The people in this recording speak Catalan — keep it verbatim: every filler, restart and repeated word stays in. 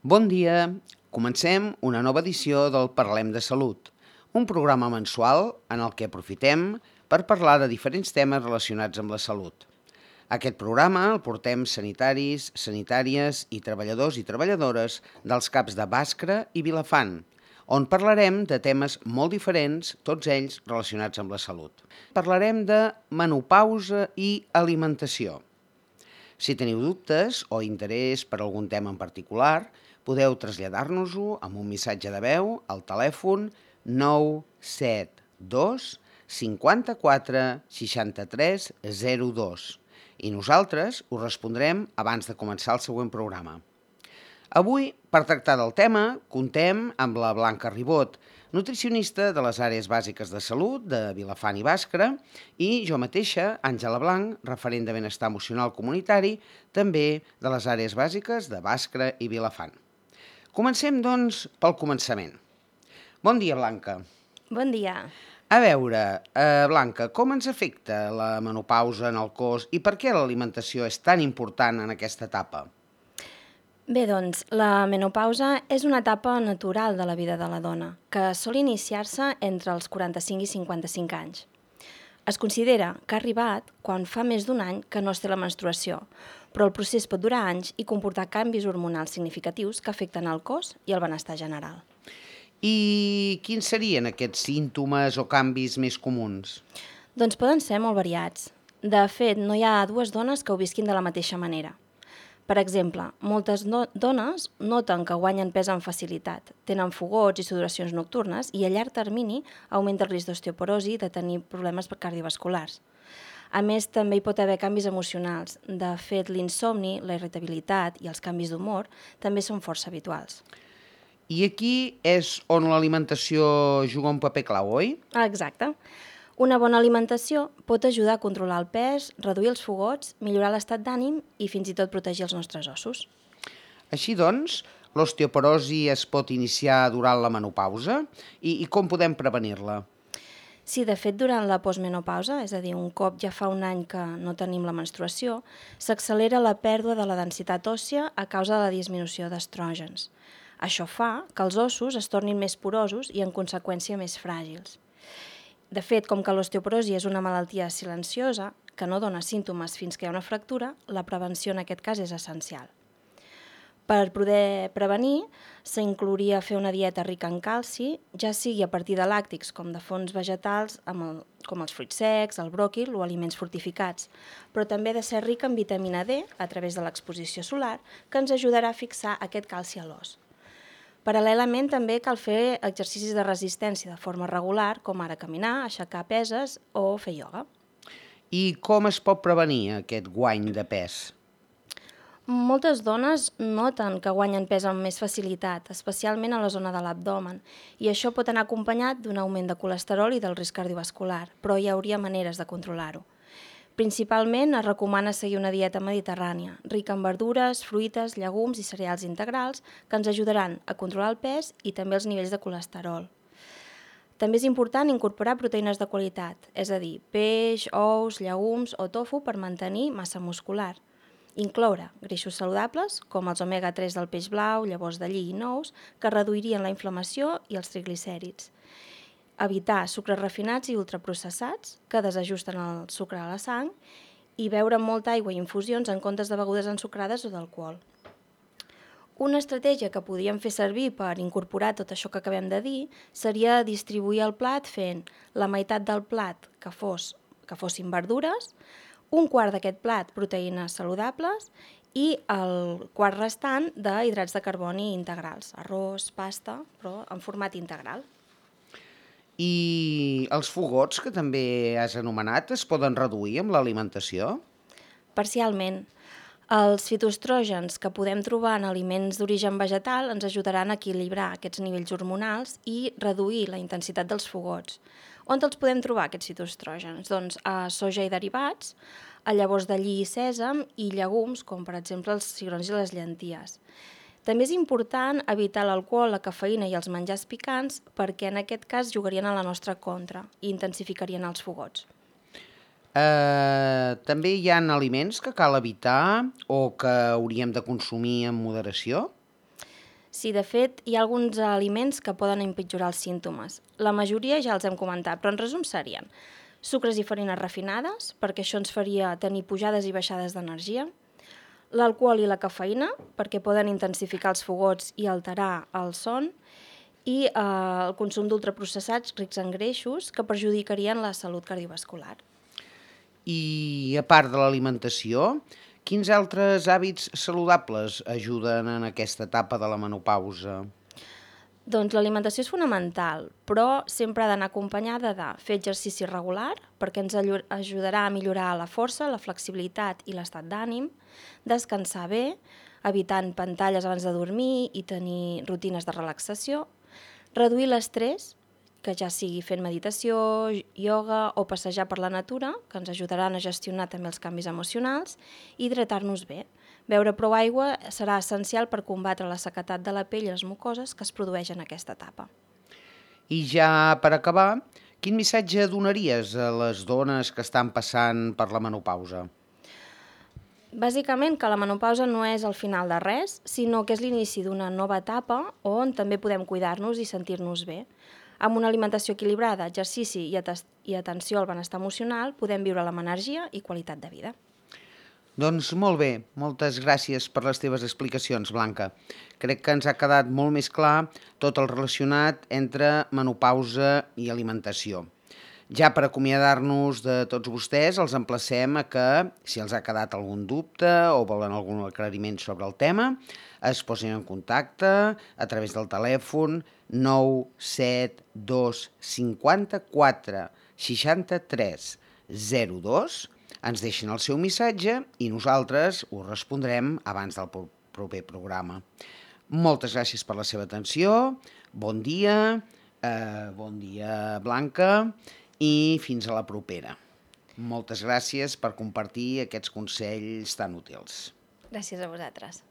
Bon dia! Comencem una nova edició del Parlem de Salut, un programa mensual en el que aprofitem per parlar de diferents temes relacionats amb la salut. Aquest programa el portem sanitaris, sanitàries i treballadors i treballadores dels CAPs de Bàscara i Vilafant, on parlarem de temes molt diferents, tots ells relacionats amb la salut. Parlarem de menopausa i alimentació. Si teniu dubtes o interès per algun tema en particular, podeu traslladar-nos-ho amb un missatge de veu al telèfon nou set dos cinquanta-quatre seixanta-tres zero dos i nosaltres us respondrem abans de començar el següent programa. Avui, per tractar del tema, contem amb la Blanca Ribot, nutricionista de les àrees bàsiques de salut de Vilafant i Bàscara, i jo mateixa, Àngela Blanc, referent de benestar emocional comunitari, també de les àrees bàsiques de Bàscara i Vilafant. Comencem, doncs, pel començament. Bon dia, Blanca. Bon dia. A veure, eh, Blanca, com ens afecta la menopausa en el cos i per què l'alimentació és tan important en aquesta etapa? Bé, doncs, la menopausa és una etapa natural de la vida de la dona, que sol iniciar-se entre els quaranta-cinc i cinquanta-cinc anys. Es considera que ha arribat quan fa més d'un any que no es té la menstruació, però el procés pot durar anys i comportar canvis hormonals significatius que afecten el cos i el benestar general. I quins serien aquests símptomes o canvis més comuns? Doncs poden ser molt variats. De fet, no hi ha dues dones que ho visquin de la mateixa manera. Per exemple, moltes no dones noten que guanyen pes amb facilitat, tenen fogots i sudoracions nocturnes i a llarg termini augmenta el risc d'osteoporosi i de tenir problemes cardiovasculars. A més, també hi pot haver canvis emocionals. De fet, l'insomni, la irritabilitat i els canvis d'humor també són força habituals. I aquí és on l'alimentació juga un paper clau, oi? Exacte. Una bona alimentació pot ajudar a controlar el pes, reduir els fogots, millorar l'estat d'ànim i fins i tot protegir els nostres ossos. Així doncs, l'osteoporosi es pot iniciar durant la menopausa i, i com podem prevenir-la? Sí, de fet, durant la postmenopausa, és a dir, un cop ja fa un any que no tenim la menstruació, s'accelera la pèrdua de la densitat òssia a causa de la disminució d'estrògens. Això fa que els ossos es tornin més porosos i, en conseqüència, més fràgils. De fet, com que l'osteoporosi és una malaltia silenciosa, que no dona símptomes fins que hi ha una fractura, la prevenció en aquest cas és essencial. Per poder prevenir, s'inclouria fer una dieta rica en calci, ja sigui a partir de làctics com de fonts vegetals, amb el, com els fruits secs, el bròquil o aliments fortificats, però també ha de ser rica en vitamina D a través de l'exposició solar, que ens ajudarà a fixar aquest calci a l'os. Paral·lelament també cal fer exercicis de resistència de forma regular, com ara caminar, aixecar peses o fer ioga. I com es pot prevenir aquest guany de pes? Moltes dones noten que guanyen pes amb més facilitat, especialment a la zona de l'abdomen, i això pot anar acompanyat d'un augment de colesterol i del risc cardiovascular, però hi hauria maneres de controlar-ho. Principalment es recomana seguir una dieta mediterrània, rica en verdures, fruites, llegums i cereals integrals que ens ajudaran a controlar el pes i també els nivells de colesterol. També és important incorporar proteïnes de qualitat, és a dir, peix, ous, llegums o tofu per mantenir massa muscular. Incloure greixos saludables, com els omega tres del peix blau, llavors de lli i nous, que reduirien la inflamació i els triglicèrids. Evitar sucres refinats i ultraprocessats que desajusten el sucre a la sang i beure molta aigua i infusions en comptes de begudes ensucrades o d'alcohol. Una estratègia que podríem fer servir per incorporar tot això que acabem de dir seria distribuir el plat fent la meitat del plat que, fos, que fossin verdures, un quart d'aquest plat proteïnes saludables i el quart restant d'hidrats de carboni integrals, arròs, pasta, però en format integral. I els fogots, que també has anomenat, es poden reduir amb l'alimentació? Parcialment. Els fitoestrògens que podem trobar en aliments d'origen vegetal ens ajudaran a equilibrar aquests nivells hormonals i reduir la intensitat dels fogots. On els podem trobar, aquests fitoestrògens? Doncs a soja i derivats, a llavors de lli i sèsam i llegums, com per exemple els cigrons i les llenties. També és important evitar l'alcohol, la cafeïna i els menjars picants perquè en aquest cas jugarien a la nostra contra i intensificarien els fogots. Eh, també hi ha aliments que cal evitar o que hauríem de consumir amb moderació? Sí, de fet, hi ha alguns aliments que poden empitjorar els símptomes. La majoria ja els hem comentat, però en resum serien sucres i farines refinades, perquè això ens faria tenir pujades i baixades d'energia, l'alcohol i la cafeïna, perquè poden intensificar els fogots i alterar el son, i eh, el consum d'ultraprocessats rics en greixos que perjudicarien la salut cardiovascular. I a part de l'alimentació, quins altres hàbits saludables ajuden en aquesta etapa de la menopausa? Doncs l'alimentació és fonamental, però sempre ha d'anar acompanyada de fer exercici regular, perquè ens ajudarà a millorar la força, la flexibilitat i l'estat d'ànim, descansar bé, evitant pantalles abans de dormir i tenir rutines de relaxació, reduir l'estrès, que ja sigui fent meditació, ioga o passejar per la natura, que ens ajudaran a gestionar també els canvis emocionals, i hidratar-nos bé. Beure prou aigua serà essencial per combatre la sequedat de la pell i les mucoses que es produeix en aquesta etapa. I ja per acabar, quin missatge donaries a les dones que estan passant per la menopausa? Bàsicament que la menopausa no és el final de res, sinó que és l'inici d'una nova etapa on també podem cuidar-nos i sentir-nos bé. Amb una alimentació equilibrada, exercici i, i atenció al benestar emocional podem viure amb energia i qualitat de vida. Doncs molt bé, moltes gràcies per les teves explicacions, Blanca. Crec que ens ha quedat molt més clar tot el relacionat entre menopausa i alimentació. Ja per acomiadar-nos de tots vostès, els emplacem a que, si els ha quedat algun dubte o volen algun aclariment sobre el tema, es posin en contacte a través del telèfon nou set dos cinquanta-quatre seixanta-tres zero dos. Ens deixen el seu missatge i nosaltres ho respondrem abans del proper programa. Moltes gràcies per la seva atenció, bon dia, eh, bon dia Blanca, i fins a la propera. Moltes gràcies per compartir aquests consells tan útils. Gràcies a vosaltres.